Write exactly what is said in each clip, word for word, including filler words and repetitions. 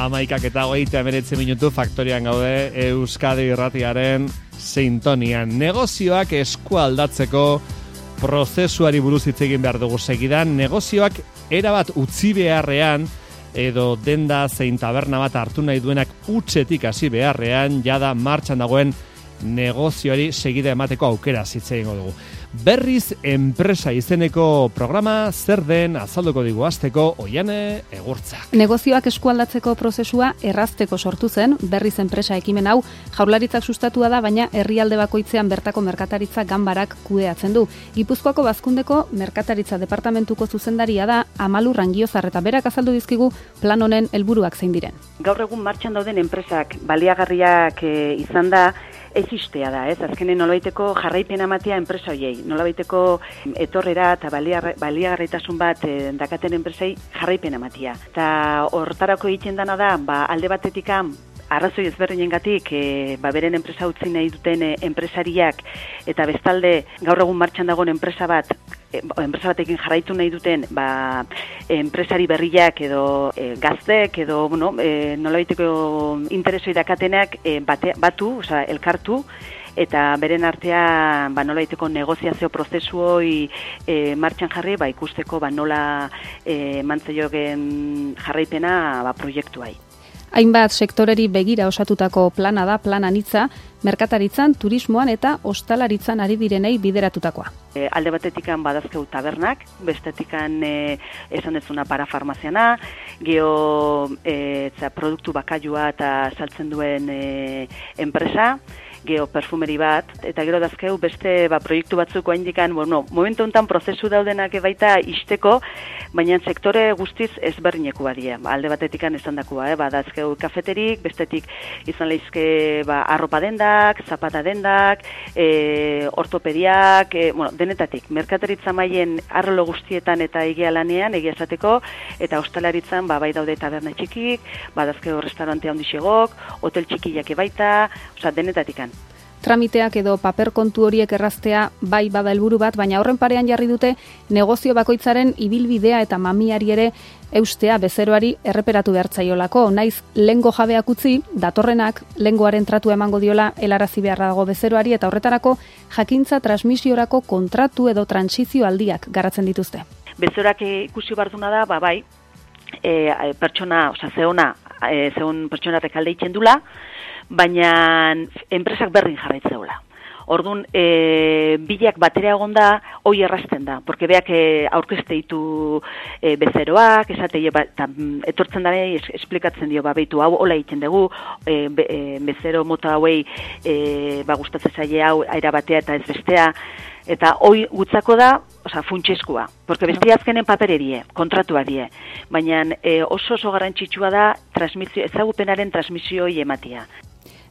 Amaikak eta hogeita hemeretzi minutu faktorian gaude Euskadi Irratiaren sintonian. Negozioak eskualdatzeko prozesuari buruz hitz egin behar dugu segidan. Negozioak erabat utzi beharrean edo denda zein taberna bat hartu nahi duenak utzetik hasi beharrean jada martxan dagoen negozioari segida emateko aukera hitz egingo dugu. Berriz enpresa izeneko programa zer den azalduko digu hasteko Oiane Egurtzak. Negozioak eskualdatzeko prozesua errazteko sortu zen Berriz enpresa ekimen hau Jaurlaritzak sustatua da, baina herrialde bakoitzean bertako merkataritza ganbarak kudeatzen du. Gipuzkoako Bazkundeko merkataritza departamentuko zuzendaria da Amalu Rangiozar eta berak azaldu dizkigu plan honen helburuak zein diren. Gaur egun martxan dauden enpresak baliagarriak e, izan da existea da, ez? Azkenen nolabaiteko jarraipena ematea enpresa hoiei, nolabaiteko etorrera eta baliagarritasun bat e, dakaten enpresei jarraipena ematea. Eta hortarako egiten dana da, ba, alde batetikan arrazoi ezberdinengatik e, ba, beren enpresa utzi nahi duten e, enpresariak eta bestalde gaur egun martxan dagoen enpresa bat enpresa batekin jarraitu nahi duten ba, enpresari berriak edo e, gaztek edo bueno, e, nolabaiteko interesoi dakatenak e, bate, batu, osea, elkartu eta beren artean ba, nolabaiteko negoziazio prozesu hori e, martxan jarri ba, ikusteko ba, nola e, mantzaiogen jarraipena ba, proiektuai. Hainbat sektoreri begira osatutako plana da, plan anitza, merkataritzan, turismoan eta ostalaritzan ari direnei bideratutakoa. E, alde batetikan badazkeu tabernak, bestetikan e, esan dezuna parafarmaziana, geho e, produktu bakailua eta saltzen duen e, enpresa, geho perfumeri bat, eta gero dazkeu beste ba, proiektu batzuk oaindikan, bueno, momentu honetan prozesu daudenak baita isteko, baina sektore guztiz ezberdineko badie. Alde batetikan esan dakua, eh? Ba, dazkeu kafeterik, bestetik izan lehizke ba, arropa dendak, zapata dendak, e, ortopediak, e, bueno, denetatik. Merkataritza maien arlo guztietan eta egia lanean, egia esateko, eta ostalaritzan ba, bai daude taberna txikik, ba, dazkeu restaurante handixegok, hotel txikiak baita, osea, denetatikan. Tramiteak edo paper kontu horiek erraztea bai bada helburu bat, baina horren parean jarri dute negozio bakoitzaren ibilbidea eta mamiari ere eustea bezeroari erreperatu behartzaiolako. Naiz lengo jabeak utzi, datorrenak lengoaren tratu emango diola helarazi beharra dago bezeroari eta horretarako jakintza transmisiorako kontratu edo transizio aldiak garatzen dituzte. Bezeroak ikusi barduna da, ba bai, e, pertsona, osea, zeona, e, zeon pertsona rekalde itzen dula, baina enpresak berdin jarraitzeula. Orduan, e, bilak batera egon da, hoi errazten da, porque beak e, aurkezte ditu e, bezeroak, esate, ba, ta, etortzen da es, esplikatzen dio, ba, behitu, hau hola egiten dugu, e, be, e, bezero mota hauei e, ba, gustatzen zaie hau aira batea eta ez bestea, eta hoi gutzako da, osea, funtsezkoa, porque beste azkenen papererie, kontratua die, baina e, oso oso garrantzitsua da transmisio, ezagupenaren transmisioi ematia.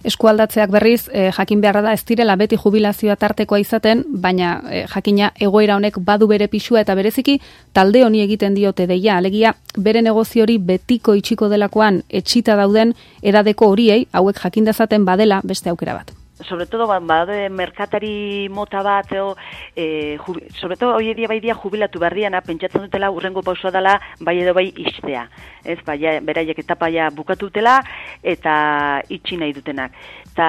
Eskualdatzeak berriz, eh, jakin beharra da ez direla beti jubilazioa tartekoa izaten, baina eh, jakina egoera honek badu bere pisua eta bereziki talde honi egiten diote deia, alegia bere negozio hori betiko itxiko delakoan etxita dauden edadeko horiei, hauek jakin dezaten badela beste aukera bat. Sobre todo, badaude merkatari mota bat, o, e, jubi, sobre todo, hoi edia bai dia jubilatu berriana, pentsatzen dutela, urrengo pausua dela, bai edo bai istea. Ez, bai, beraiek etapa ja bukatu dutela, eta itxi nahi dutenak. Eta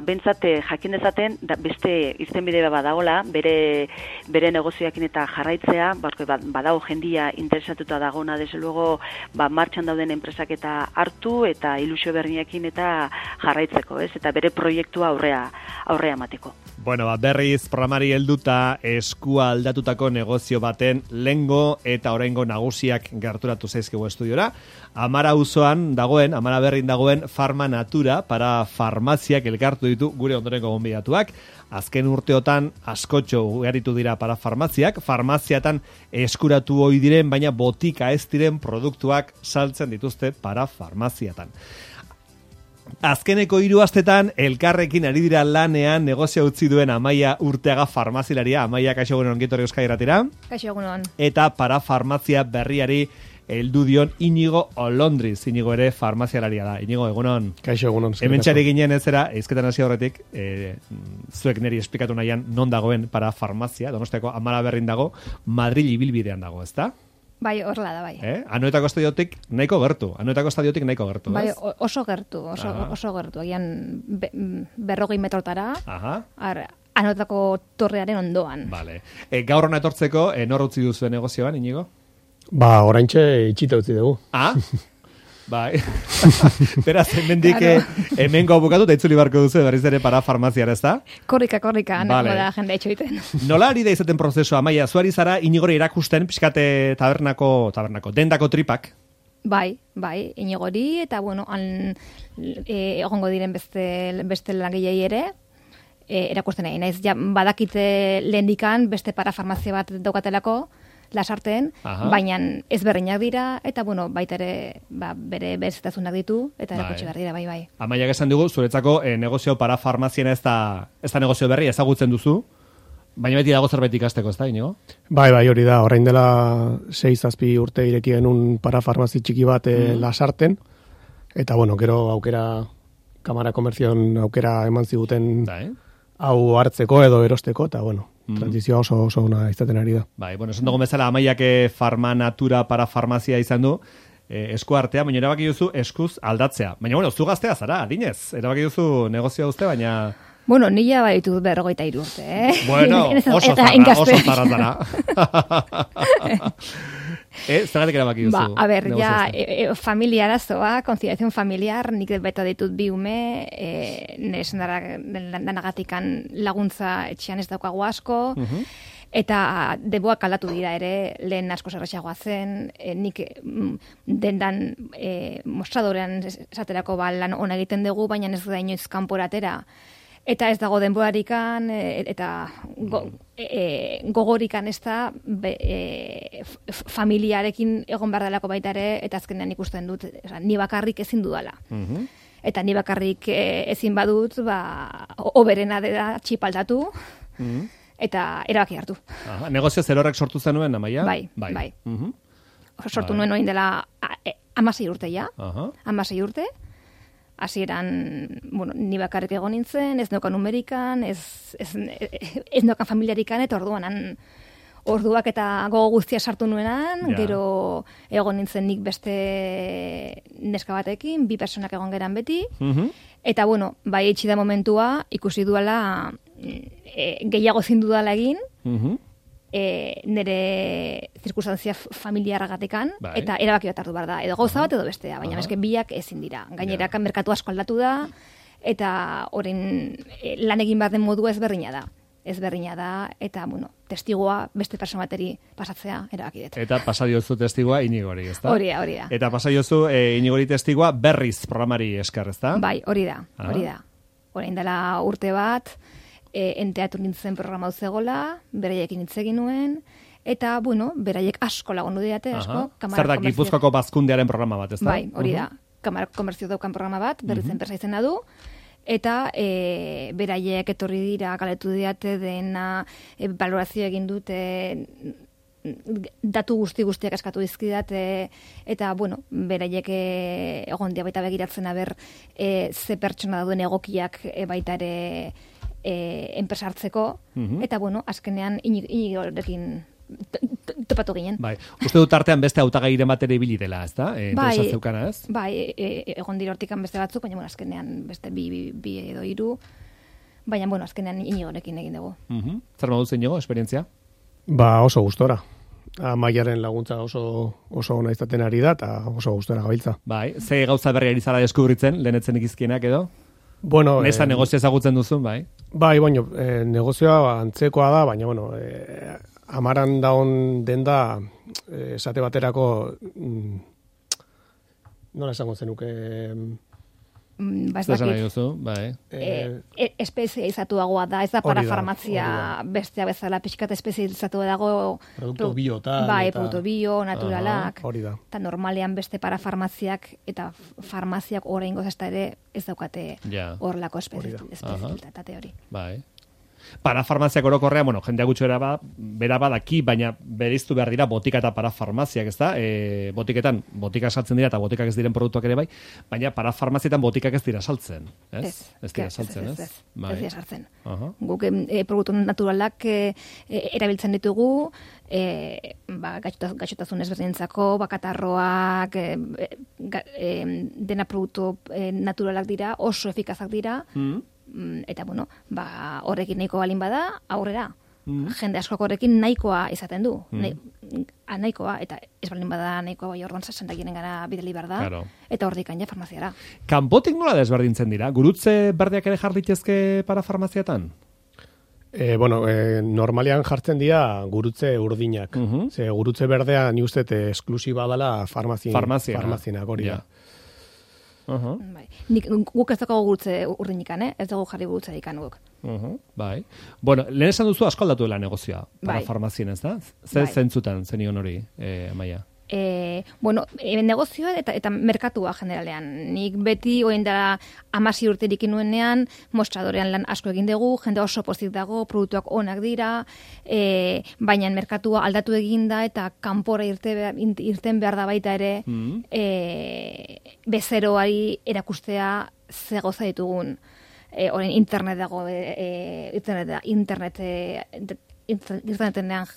bentsate jakin dezaten, da, beste irtenbide badagola, bere, bere negozioakin eta jarraitzea, barko, badago jendia interesatuta dagona, desde luego, ba, martxan dauden enpresak eta hartu, eta ilusio berriakin eta jarraitzeko, ez? Eta bere proiektua aurrea, aurrea mateko. Bueno, ba, berriz programari helduta eskua aldatutako negozio baten lengo eta oraingo nagusiak gerturatu zaizkigu estudiora. Amara auzoan dagoen, Amara berrin dagoen Farma Natura para farmaziak elkartu ditu gure ondorengo gonbidatuak. Azken urteotan askotxo ugaritu dira para farmaziak, farmaziatan eskuratu ohi diren, baina botika ez diren produktuak saltzen dituzte para farmaziatan. Azkeneko hiru astetan elkarrekin ari dira lanean negozio utzi duen Amaia Urteaga farmazilaria. Amaia, kaixo egunon, ongi etorri Euskadi Irratira. Kaixo egunon. Eta para farmazia berriari heldu dion Inigo Olondriz. Inigo ere farmazialaria da. Inigo, egunon. Kaixo egunon. Hementxari ginen ez era, eizketan hasi horretik, e, zuek neri esplikatu nahian non dagoen para farmazia, Donostiako Amara berrin dago, Madril ibilbidean dago, ezta? Bai, horrela da, bai. Eh? Anoetako estadiotik nahiko gertu. Anoetako estadiotik nahiko gertu, Bai, ez? oso gertu, oso, oso gertu. Agian be, berrogei metrotara. Aha. Ar, Anoetako torrearen ondoan. Vale. E, gaur hona etortzeko, e, nor utzi duzu negozioan, Inigo? Ba, oraintxe itxita utzi dugu. Ah? Bai. Beraz, hemendik claro. Hemengo bukatu, da itzuli barko duzu, berriz ere para farmaziara, ez da? Korrika, korrika, vale. Vale. Da jende etxoiten. Nola ari da izaten prozesua, Amaia, zuari zara Inigori erakusten, pixkate tabernako, tabernako, dendako tripak? Bai, bai, Inigori, eta bueno, han, e, egongo diren beste, beste langilei ere, e, erakusten nahi. Naiz, ja, badakite lehendikan beste parafarmazia bat daukatelako, Lasarten, Aha. baina ezberdinak dira, eta bueno, baita ere ba, bere berezitasunak ditu, eta erakutsi behar dira, bai, bai. Amaia esan dugu, zuretzako eh, negozio parafarmaziena ez da, ez da negozio berri, ezagutzen duzu, baina beti dago zerbait ikasteko, ez da, Inigo? Bai, bai, hori da, orain dela sei zazpi urte ireki genuen parafarmazi txiki bat mm. Lasarten, eta bueno, gero aukera, Kamara Komerzion aukera eman ziguten da, eh? hau hartzeko edo erosteko, eta bueno, mm. transizioa oso oso ona izaten ari da. Bai, bueno, esan dugu bezala Amaiak farmanatura para farmazia izan du, eh, esku artea, baina erabaki duzu eskuz aldatzea. Baina, bueno, zu gaztea zara, adinez, erabaki duzu negozioa uste, baina... Bueno, nila baditu berrogeita hiru urte, eh? Bueno, oso zarra, oso zarra zara. Eh, zergatik erabaki duzu? Ba, a ber, ja, e, e, familia arazoa, conciliación familiar, nik beta ditut bi ume, e, nesen danagatikan laguntza etxean ez daukagu asko, uh-huh. eta deboak aldatu dira ere, lehen asko zerrexagoa zen, e, nik dendan e, mostradorean esaterako ba, lan ona egiten dugu, baina ez da inoiz kanporatera. Eta ez dago denborarikan, eta go, e, gogorikan ez da be, e, familiarekin egon behar delako baita ere, eta azkenean ikusten dut, oza, ni bakarrik ezin dudala. Uh-huh. Eta ni bakarrik e, ezin badut, ba, oberena da txipaldatu, uh-huh. eta erabaki hartu. Aha, negozio zer horrek sortu zenuen, Amaia? Bai, bai. bai. Uh-huh. Sortu bai. Nuen oin dela amasei urte ja, uh-huh. amasei urte, hasieran, bueno, ni bakarrik egon nintzen, ez nokan numerikan, ez, ez, ez nokan familiarikan, eta orduan, orduak eta gogo guztia sartu nuenan, ja. Gero egon nintzen nik beste neska batekin, bi personak egon geran beti, uh-huh. eta bueno, bai etxi da momentua, ikusi duela e, gehiago zindu dala egin, uh-huh. E, nire zirkustantzia familiarragatekan, bai. Eta erabaki bat hartu behar da, edo gauza bat edo bestea, baina eske biak ezin dira. Gaineraka ja. Merkatu asko aldatu da, eta orain e, lan egin behar den modua ezberdina da. Ezberdina da, eta, bueno, testigua beste pertsona bateri pasatzea erabaki dut. Eta pasadiozu testigua Inigori, ez da? Hori da, hori da. Eta pasadiozu e, Inigori testigua berriz programari esker, ez da? Bai, hori da, hori da. Orain dela urte bat, E, enteatu nintzen programa zegoela, beraiekin hitz egin nuen, eta, bueno, beraiek asko lagundu diate, asko. Zer da, Gipuzkoako bazkundearen programa bat, ez da? Bai, hori da. Uh-huh. Kamara Komertzio daukan programa bat, berriz uh-huh. enpresa izena du, eta e, beraiek etorri dira, galetu diate dena, e, valorazio egin dute, datu guzti guztiak eskatu dizkidat, e, eta, bueno, beraiek e, egon dia baita begiratzen aber e, ze pertsona dauden egokiak e, baita ere E, enpresa hartzeko, uh-huh. eta bueno, azkenean Inigorekin topatu ginen. Bai, uste dut artean beste hautagairen batera ibili dela, ez da? E, bai, zeukana, ez? Bai, e, egon dira hortikan beste batzuk, baina bueno, azkenean beste bi, bi, bi edo hiru, baina bueno, azkenean Inigorekin egin dugu. Uh-huh. Zer moduz Inigo, esperientzia? Ba, oso gustora. Amaiaren laguntza oso oso ona izaten ari da, eta oso gustora gabiltza. Bai, ze gauza berri ari zara deskubritzen, lehenetzen ikizkienak edo? Bueno, Nesa eh, negozio ezagutzen duzun, bai? Bai, baino, eh, negozioa antzekoa da, baina, bueno, eh, amaran daun denda, eh, esate baterako, mm, nola esango zenuke... Mm, ba, ez dakit. Bai. E, e, espezializatuagoa da, ez da parafarmazia bestea bezala, pixkat espezializatu dago... Produkto bio, tal... Bai, eta... produkto bio, naturalak. Hori da. Eta normalean beste parafarmaziak eta farmaziak orain gozazta ere ez daukate horrelako espezialitate hori. Bai. Parafarmaziak orokorrean, bueno, jendea gutxo era ba, bera badaki, baina bereiztu behar dira botika eta parafarmaziak, ez da? E, botiketan, botika saltzen dira eta botikak ez diren produktuak ere bai, baina parafarmazietan botikak ez dira saltzen, ez? Ez, ez dira saltzen, ez? Ez, ez, Bai. ez dira saltzen. Aha. Guk e, produktu naturalak e, e, erabiltzen ditugu, e, ba, gaixotasun ezberdinentzako, bakatarroak, e, ga, e, dena produktu e, naturalak dira, oso efikazak dira, mm. eta bueno, ba, horrekin nahiko balin bada, aurrera. Mm. Jende askok horrekin nahikoa izaten du. Mm. Nahi, a, nahikoa, eta ez balin bada nahikoa bai orduan zasendakienen gara bideli behar da, claro. Eta hordik ja farmaziara. Kanpotik nola desberdintzen dira? Gurutze berdeak ere jarritezke para farmaziatan? E, bueno, e, normalean jartzen dira gurutze urdinak. Uh-huh. Ze gurutze berdea ni uste esklusiba dela farmazien, farmazienak hori da. Uh-huh. Bai. Nik, guk ez dago gurutze urdinikan, eh? Ez dago jarri gurutze dikan guk. Uh-huh. Bai. Bueno, lehen esan duzu asko aldatu dela negozioa, para bai. Farmazien, ez da? Zer bai. Zentzutan zenion hori, eh, Amaia? E, bueno, e, negozioa eta, eta merkatua generalean. Nik beti oin da amasi urterik inuenean, mostradorean lan asko egin dugu, jende oso pozik dago, produktuak onak dira, e, baina merkatua aldatu eginda eta kanpora irte, irten behar da baita ere mm. e, bezeroari erakustea ze goza ditugun. E, orain internet dago, e, internet, da, internet e, internetenean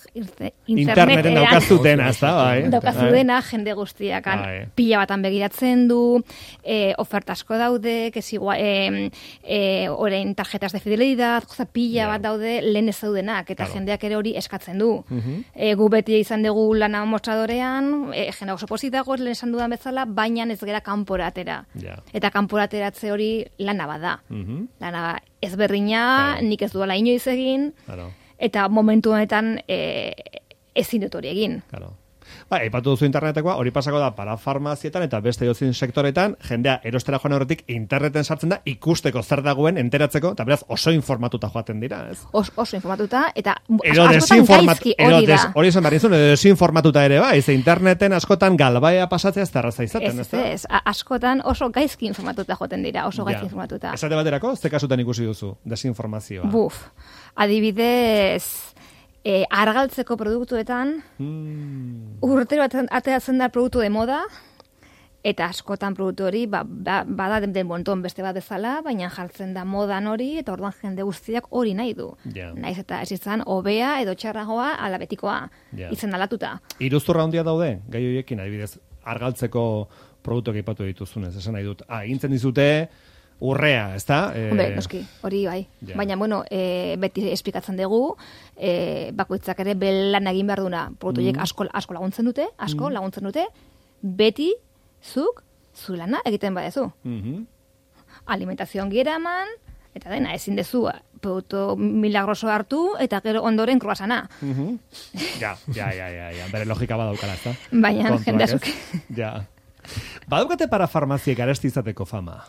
interneten daukazu dena, ez da, bai. Daukazu dena, jende guztiak pila batan begiratzen du, e, oferta asko daude, que si, e, e, orain tarjetas de fidelidad, goza pila yeah. bat daude lehen ez daudenak, eta claro. Jendeak ere hori eskatzen du. Uh-huh. E, gu beti izan dugu lana mostradorean, e, jende oso pozik dago, lehen esan dudan bezala, baina ez gera kanporatera. Yeah. Eta kanporateratze hori lana bada. Uh-huh. Lana ezberdina, claro. Nik ez duela inoiz egin, claro. Eta momentu honetan e, ezin dut hori egin. Claro. Ba, aipatu duzu internetekoa, hori pasako da para farmazietan eta beste dozin sektoretan, jendea erostera joan horretik interneten sartzen da ikusteko zer dagoen enteratzeko, eta beraz oso informatuta joaten dira, ez? Os, oso informatuta, eta ero askotan gaizki hori da. Hori esan behar izun, edo desinformatuta ere bai, ze interneten askotan galbaia pasatzea ez terraza izaten, ez da? Ez, ez, askotan oso gaizki informatuta joaten dira, oso gaizki ja. Informatuta. Esate baterako, ze kasutan ikusi duzu, desinformazioa? Buf, adibidez... E, argaltzeko produktuetan mm. urtero ateratzen da produktu de moda eta askotan produktu hori ba, ba, bada den, den bonton beste bat bezala, baina jartzen da modan hori eta orduan jende guztiak hori nahi du. Yeah. Naiz eta ez izan hobea edo txarragoa alabetikoa yeah. Izen alatuta. Iruzurra handia daude, gai horiekin adibidez, argaltzeko produktuak aipatu dituzunez, esan nahi dut. Ah, egintzen dizute urrea, ez da? Eh... Hombre, noski, hori bai. Yeah. Baina, bueno, e, beti esplikatzen dugu, e, bakoitzak ere belan egin behar duna. Produktuiek mm. asko, asko laguntzen dute, asko mm. laguntzen dute, beti zuk, zu lana egiten badezu. Mm-hmm. Alimentazioan gira eman, eta dena, ezin dezu, produktu milagroso hartu, eta gero ondoren kruasana. Mm-hmm. Ja, ja, ja, ja, ja, bere logika badaukala, ez da? Baina, jende azuk. Ja. Badaukate para farmaziek aresti izateko fama?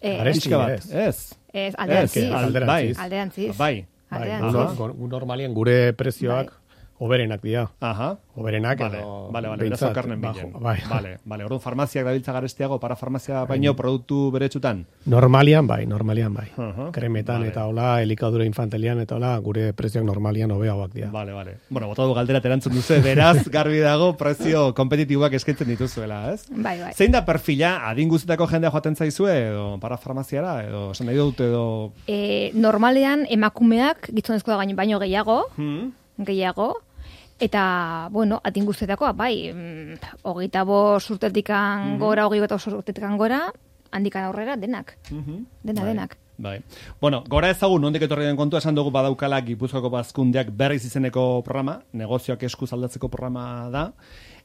Eh, Aresti bat, ez. Ez, alderantziz. Alderantziz. Alderantziz. Bai. Alderantziz. Normalian gure prezioak oberenak dira. Aha. Oberenak vale, edo... Vale, vale, berazo karnen bilen. Bai. Vale, vale. Orduan farmaziak dabiltza garestiago, para farmazia baino produktu beretsutan? Normalian bai, normalian bai. Uh-huh. Kremetan vale. Eta hola, elikadura infantelian eta hola, gure prezioak normalian hobeagoak dira. Vale, vale. Bueno, bota du galdera terantzun duzu, beraz, garbi dago, prezio kompetitiboak eskaintzen dituzuela, ez? Bai, bai. Zein da perfila, adin guztietako jendea joaten zaizue, edo para farmaziara, edo esan nahi dut, edo... E, normalean, emakumeak, gizonezkoa gaino baino gehiago, hmm? gehiago, eta, bueno, adin guztietakoa, bai, mm, hogeita bost urtetikan mm-hmm. gora, hogei bat urtetikan gora, handikan aurrera, denak. Mm-hmm. Dena, bai. Denak. Bai. Bueno, gora ezagun, nondik etorri den kontua, esan dugu badaukala Gipuzkoako Bazkundeak berriz izeneko programa, negozioak eskuz aldatzeko programa da.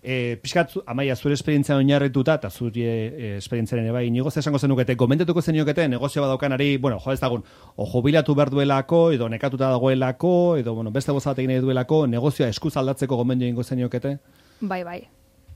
E, Piskat, Amaia, zure esperientzia oinarrituta, eta zure e, esperientziaren bai, inigo esango zenukete, gomentetuko zenukete, negozio badaukanari, bueno, jo ez dagun, o jubilatu behar duelako, edo nekatuta dagoelako, edo, bueno, beste goza bat egin nahi duelako, negozioa eskuz aldatzeko gomendio ingo zenukete? Bai, bai,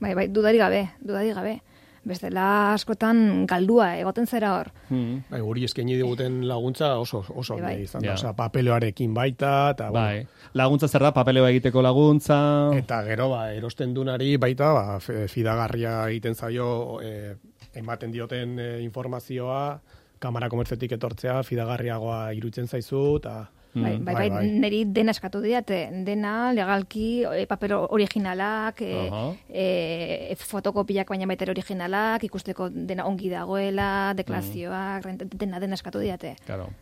bai, bai, dudari gabe, dudari gabe. Bestela askotan galdua egoten zera hor. Hmm. Bai, guri eskaini diguten laguntza oso oso bai, bai. izan da, osea, papeloarekin baita eta bai. Bueno. Laguntza zer da papeloa egiteko laguntza. Eta gero ba erosten dunari baita ba fidagarria egiten zaio e, ematen dioten e, informazioa kamara komertzetik etortzea fidagarriagoa iruditzen zaizu eta Bai, bai, bai, bai, niri dena eskatu diate, dena legalki, e, paper originalak, e, uh-huh. e, fotokopiak baina baita originalak, ikusteko dena ongi dagoela, deklarazioak, mm. dena dena eskatu diate. Claro.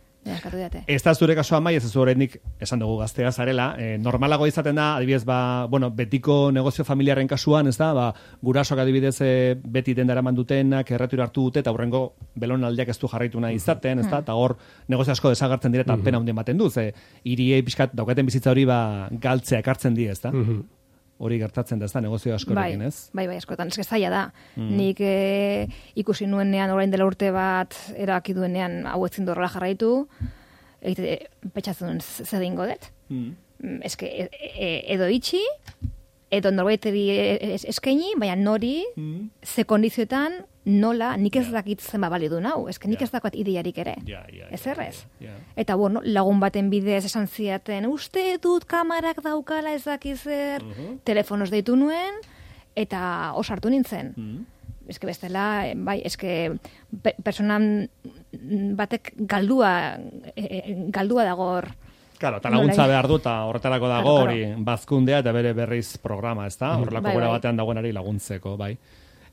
Ez da zure kasua mai, ez ez oraindik esan dugu gaztea zarela, e, normalago izaten da, adibidez, ba, bueno, betiko negozio familiaren kasuan, ez da, ba, gurasoak adibidez e, beti dendara mandutenak, erretura hartu dute, eta hurrengo belonaldiak ez du jarraitu nahi izaten, ez da, eta hor negozio asko desagartzen dire, eta pena hundien baten du, ze, iriei pixkat daukaten bizitza hori ba, galtzea ekartzen die, ez da? Hori gertatzen da, ez da, negozio askorekin, ez? Bai, bai, askotan, ez zaila da. Mm. Nik e, ikusi nuenean, orain dela urte bat, erabaki duenean, hau etzin dorrela jarraitu, egite, petxatzen duen zer dingo dut. Mm. Ez que, e, e, edo itxi, edo norbaiteri eskaini, baina nori, mm. ze kondizioetan, nola, nik ez dakit zenba balidu nau, ez que nik ez dakoat ideiarik ere. Yeah, yeah, ez errez. Yeah, yeah. Eta, bueno, lagun baten bidez esan ziaten, uste dut kamarak daukala ez dakizer, uh-huh. telefonos deitu nuen, eta osartu nintzen. Uh-huh. Ez que bestela, bai, ez que pe- personan batek galdua, e, galdua dago hor. Claro, eta laguntza behar du, eta horretarako dago hori claro, claro. bazkundea eta bere berriz programa, ez da? Horrelako bai, gora bai. batean dagoenari laguntzeko, bai.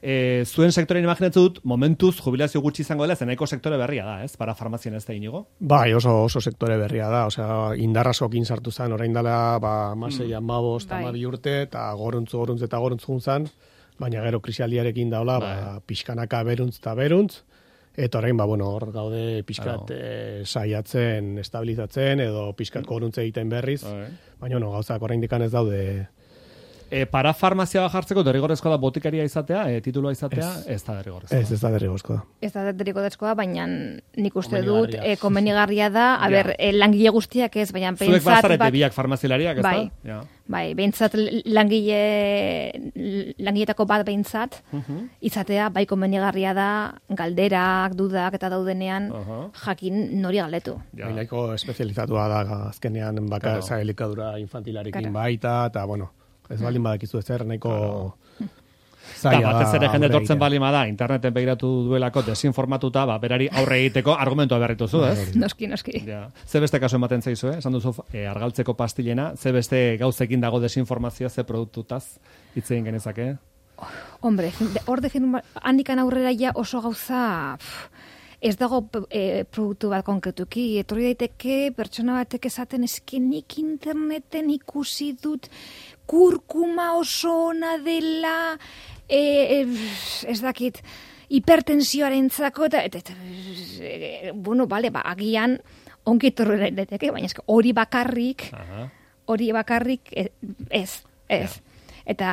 E, zuen sektoren imaginatzen dut, momentuz jubilazio gutxi izango dela, zeneko sektore berria da, ez? Para farmazien ez da inigo? Bai, oso, oso sektore berria da, osea, indarrasokin sartu zen, orain dela, ba, masei, mm. amabost, bai. amabi urte, eta goruntzu, goruntzu eta goruntzu zen, baina gero krisialdiarekin daula, bai. ba, pixkanaka beruntz eta beruntz, eta orain, ba, bueno, hor gaude pixkat claro. e, saiatzen, estabilizatzen, edo pixkat goruntze egiten berriz, bai. baina, no, gauzak orain dikan ez daude. E, para farmazia bajartzeko derrigorrezkoa da botikaria izatea, e, titulua izatea, ez, ez da derrigorezkoa. Ez, ez da derrigorezkoa. Ez da derrigorezkoa, baina nik uste dut e, komenigarria da, a ber, e, langile guztiak ez, baina pentsat... Zuek bazarete biak farmazilariak, ez bai, da? Ja. Bai, behintzat langile, langiletako bat behintzat, uh-huh. izatea, bai komenigarria da, galderak, dudak eta daudenean, uh-huh. jakin nori galdetu. Ja. Bainako espezializatua da, azkenean baka claro. elikadura infantilarekin claro. baita, eta bueno... Ez baldin badakizu ezer, nahiko zaila da. Batez ere jende tortzen baldin bada, interneten begiratu duelako desinformatuta, ba, berari aurre egiteko argumentua berrituzu, ez? Noski, noski. Ja. Ze beste kasu ematen zaizu, eh? Esan duzu e, argaltzeko pastilena, ze beste gauzekin dago desinformazioa, ze produktutaz hitz egin genezake? Hombre, hor defin, handikan aurrera ja oso gauza... Pff, ez dago e, produktu bat konkretuki, etorri daiteke pertsona batek esaten eskenik interneten ikusi dut kurkuma oso ona dela, e, e, ez dakit, hipertensioarentzako eta, eta, eta e, bueno, bale, ba, agian onki etorri daiteke, baina hori bakarrik, hori bakarrik ez, ez. ez. Ja. Eta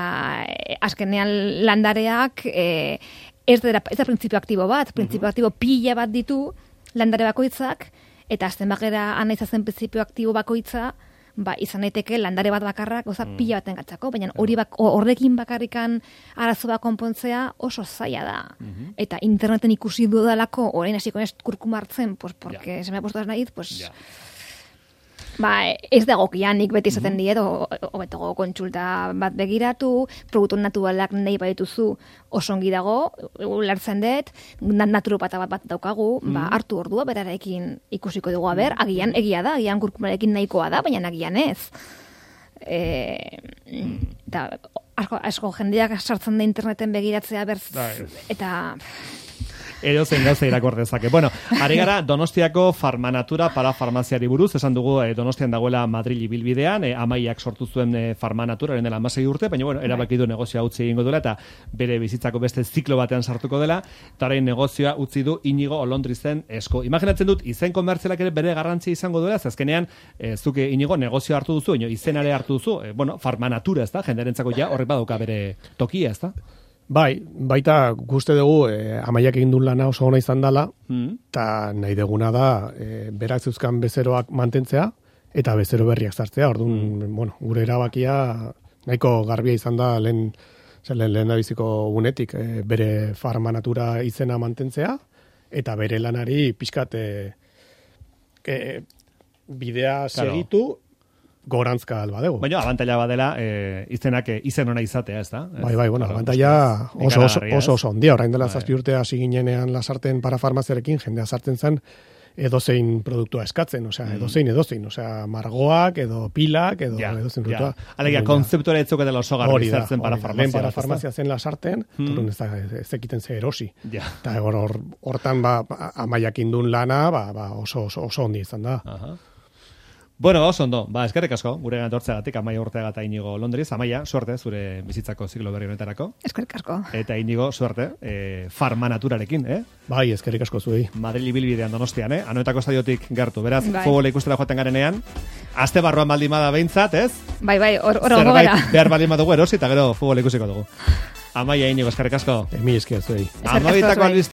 e, azkenean landareak... E, Ez da, ez da printzipio aktibo bat, printzipio aktibo pila bat ditu landare bakoitzak, eta azten bakera ana izazen printzipio aktibo bakoitza, ba, izan daiteke landare bat bakarrak, goza mm. pila baten gatzako, baina hori bak, horrekin bakarrikan arazo bat konpontzea oso zaila da. Mm-hmm. Eta interneten ikusi dudalako, orain hasiko ez kurkuma hartzen, pues, porque ja. se me ha puesto das naiz, pues... Ja. Ba, ez dagokianik beti izaten diet, hobetago kontsulta bat begiratu, produktu naturalak nahi badituzu oso ongi dago, ulertzen dut, naturopata bat bat daukagu, mm. ba, hartu ordua berarekin ikusiko dugu, aber, agian egia da, agian kurkumarekin nahikoa da, baina agian ez. E, eta asko, asko jendeak sartzen da interneten begiratzea berz, eta... Edo zein gauza irakur dezake. Bueno, ari gara Donostiako Farmanatura para farmaziari buruz, esan dugu eh, Donostian dagoela Madril ibilbidean, eh, amaiak sortu zuen eh, Farmanatura, dela hamasei urte, baina bueno, erabaki du negozioa utzi egingo duela, eta bere bizitzako beste ziklo batean sartuko dela, eta orain negozioa utzi du Inigo Olondrizen esko. Imaginatzen dut, izen komertzialak ere bere garrantzia izango duela, azkenean, eh, zuke Inigo negozio hartu duzu, ino, izenare hartu duzu, eh, bueno, Farmanatura, ez da, jenderentzako ja, horrek badauka bere tokia, ez da? Bai, baita guzti dugu eh, amaiak egin duen lana oso ona izan dela, eta mm. nahi deguna da eh, berak zeuzkan bezeroak mantentzea, eta bezero berriak sartzea. Orduan, mm. bueno, gure erabakia nahiko garbia izan da lehen, lehen, lehen da biziko unetik eh, bere Farmanatura izena mantentzea, eta bere lanari pixkat eh, eh, bidea claro. segitu, gorantzka alba dugu. Baina, abantaila badela, e, izenak e, izen ona izatea, ez da? Bai, bai, bueno, abantaila oso oso, oso, oso ondia. Orain dela zazpi urte hasi ginenean lasarten parafarmaziarekin, jendea sartzen zen, edozein produktua eskatzen, osea, edozein, edozein, osea, margoak, edo pilak, edo ja, edozein produktua. Ja. Alegia, konzeptuara etzuk edela oso garbi zertzen para farmazia. Lehen para farmazia zen lasarten, hmm. torun ez, ez ekiten ze erosi. Ja. Eta hor, hortan, ba, Amaiak indun lana, ba, ba, oso, oso, oso ondi izan da. Aha. Bueno, ba, oso ondo, ba, eskerrik asko, gure gantortzeagatik, Amaia Urteaga eta Inigo Londriz. Amaia, suerte, zure bizitzako ziklo berri honetarako. Eskerrik asko. Eta Inigo, suerte, eh, farma naturarekin, eh? Bai, eskerrik asko zuei. Madrid ibilbidean Donostian, eh? Anoetako estadiotik gertu, beraz, bai. Futbola ikustera joaten garenean, aste barruan baldin bada behintzat, ez? Bai, bai, hor gongo gara. Behar baldin badugu erosi, eta gero futbola ikusiko dugu. Amaia, Inigo, eskerrik asko. Emi esker zuei. Amabitako